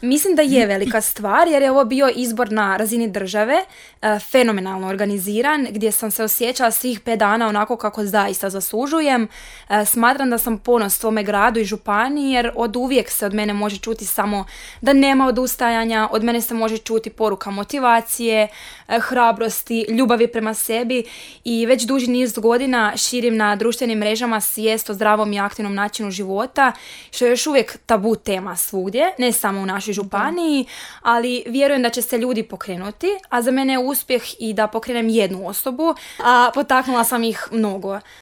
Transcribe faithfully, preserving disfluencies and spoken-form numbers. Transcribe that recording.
Mislim da je velika stvar jer je ovo bio izbor na razini države, e, fenomenalno organiziran, gdje sam se osjećala svih pet dana onako kako zaista zaslužujem. E, smatram da sam ponos svome gradu i županiji jer od uvijek se od mene može čuti samo da nema odustajanja, od mene se može čuti poruka motivacije, e, hrabrosti, ljubavi prema sebi i već duži niz godina širim na društvenim mrežama svijest o zdravom i aktivnom načinu života, što je još uvijek tabu tema svugdje, ne samo u našoj županiji, ali vjerujem da će se ljudi pokrenuti, a za mene je uspjeh i da pokrenem jednu osobu, a potaknula sam ih mnogo.